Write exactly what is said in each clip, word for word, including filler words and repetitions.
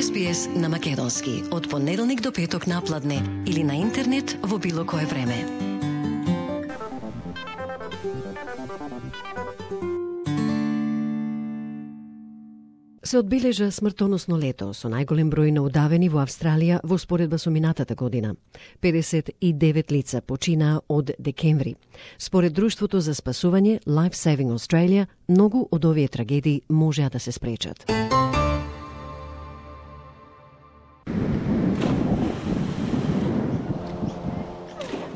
С Б С на македонски од понеделник до петок напладне или на интернет во било кое време. Се одбележа смртоносно лето со најголем број на удавени во Австралија во споредба со минатата година. педесет и девет лица починаа од декември. Според Друштвото за спасување Life Saving Australia, многу од овие трагедии можеа да се спречат.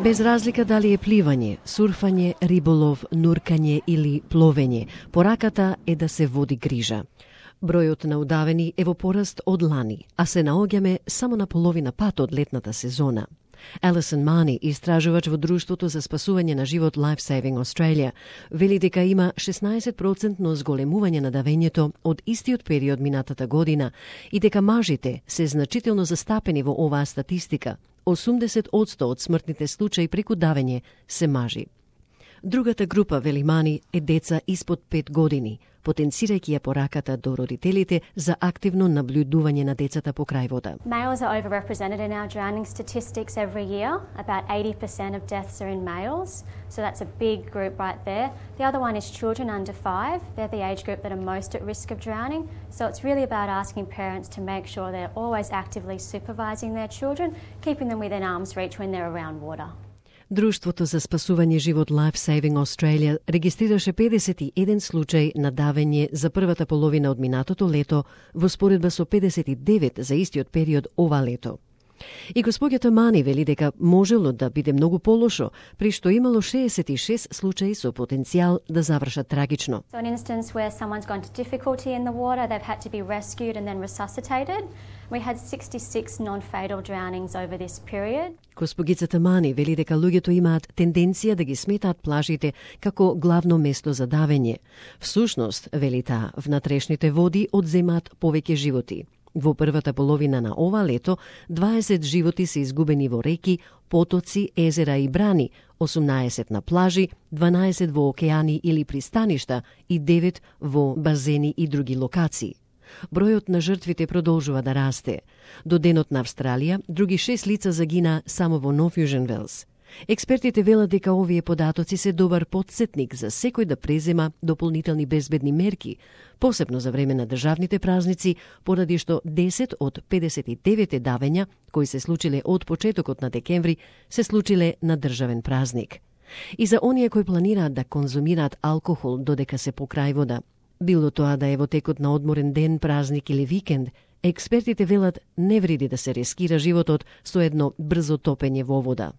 Без разлика дали е пливање, сурфање, риболов, нуркање или пловење, пораката е да се води грижа. Бројот на удавени е во пораст од лани, а се наоѓаме само на половина пат од летната сезона. Алисон Мани, истражувач во Друштвото за спасување на живот Life Saving Australia, вели дека има шеснаесет проценти зголемување на давењето од истиот период минатата година и дека мажите се значително застапени во оваа статистика. осумдесет одсто од смртните случаи преку давење се мажи. Другата група, вели Мани, е деца испод пет години, потенцирајќи ја пораката до родителите за активно наблюдување на децата по крај вода. Males are overrepresented in our drowning statistics every year. About eighty percent of deaths are in males, so that's a big group right there. The other one is children under five. They're the age group that are most at risk of drowning. So it's really about asking parents to make sure they're always actively supervising their children, keeping them within arm's reach when they're around water. Друштвото за спасување живот Life Saving Australia регистрираше педесет и еден случај на давење за првата половина од минатото лето во споредба со педесет и девет за истиот период ова лето. И господјата Мани вели дека можело да биде многу полошо, при што имало шеесет и шест случаи со потенцијал да завршат трагично. So an instance where someone's gone to difficulty in the water, they've had to be rescued and then resuscitated. We had sixty-six non-fatal drownings over this period. Госпогицата Мани вели дека луѓето имаат тенденција да ги сметаат плажите како главно место за давење. Всушност, вели таа, внатрешните води одземаат повеќе животи. Во првата половина на ова лето, дваесет животи се изгубени во реки, потоци, езера и брани, осумнаесет на плажи, дванаесет во океани или пристаништа и девет во базени и други локации. Бројот на жртвите продолжува да расте. До денот на Австралија, други шест лица загина само во Нов Јужен Велс. Експертите велат дека овие податоци се добар потсетник за секој да презема дополнителни безбедни мерки, посебно за време на државните празници, поради што десет од педесет и девет давења, кои се случиле од почетокот на декември, се случиле на државен празник. И за оние кои планираат да конзумираат алкохол додека се покрај вода, било тоа да е во текот на одморен ден, празник или викенд, експертите велат не вреди да се рискира животот со едно брзо топење во вода.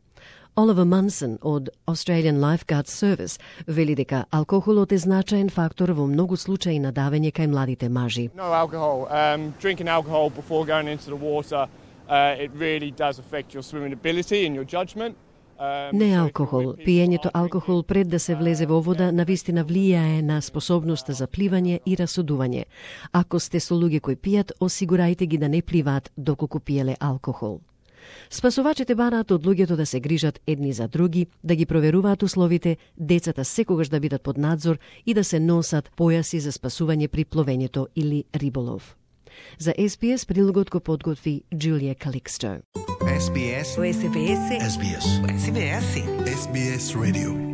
Оливер Мансон од Australian Lifeguard Service вели дека алкохолот е значаен фактор во многу случаи на давење кај младите мажи. No alcohol. Um, drinking alcohol before going into the water, uh, it really does affect your swimming ability and your judgment. Um, Не алкохол. Пиењето алкохол пред да се влезе во вода навистина влијае на способноста за пливање и расудување. Ако сте со луѓе кои пијат, осигурајте ги да не пливаат доколку пиеле алкохол. Спасувачите бараат од луѓето да се грижат едни за други, да ги проверуваат условите, децата секогаш да бидат под надзор и да се носат појаси за спасување при пловењето или риболов. За С Б С прилогот го подготви Джулија Каликсто. С Б С. С Б С. С Б С. С Б С. С Б С Radio.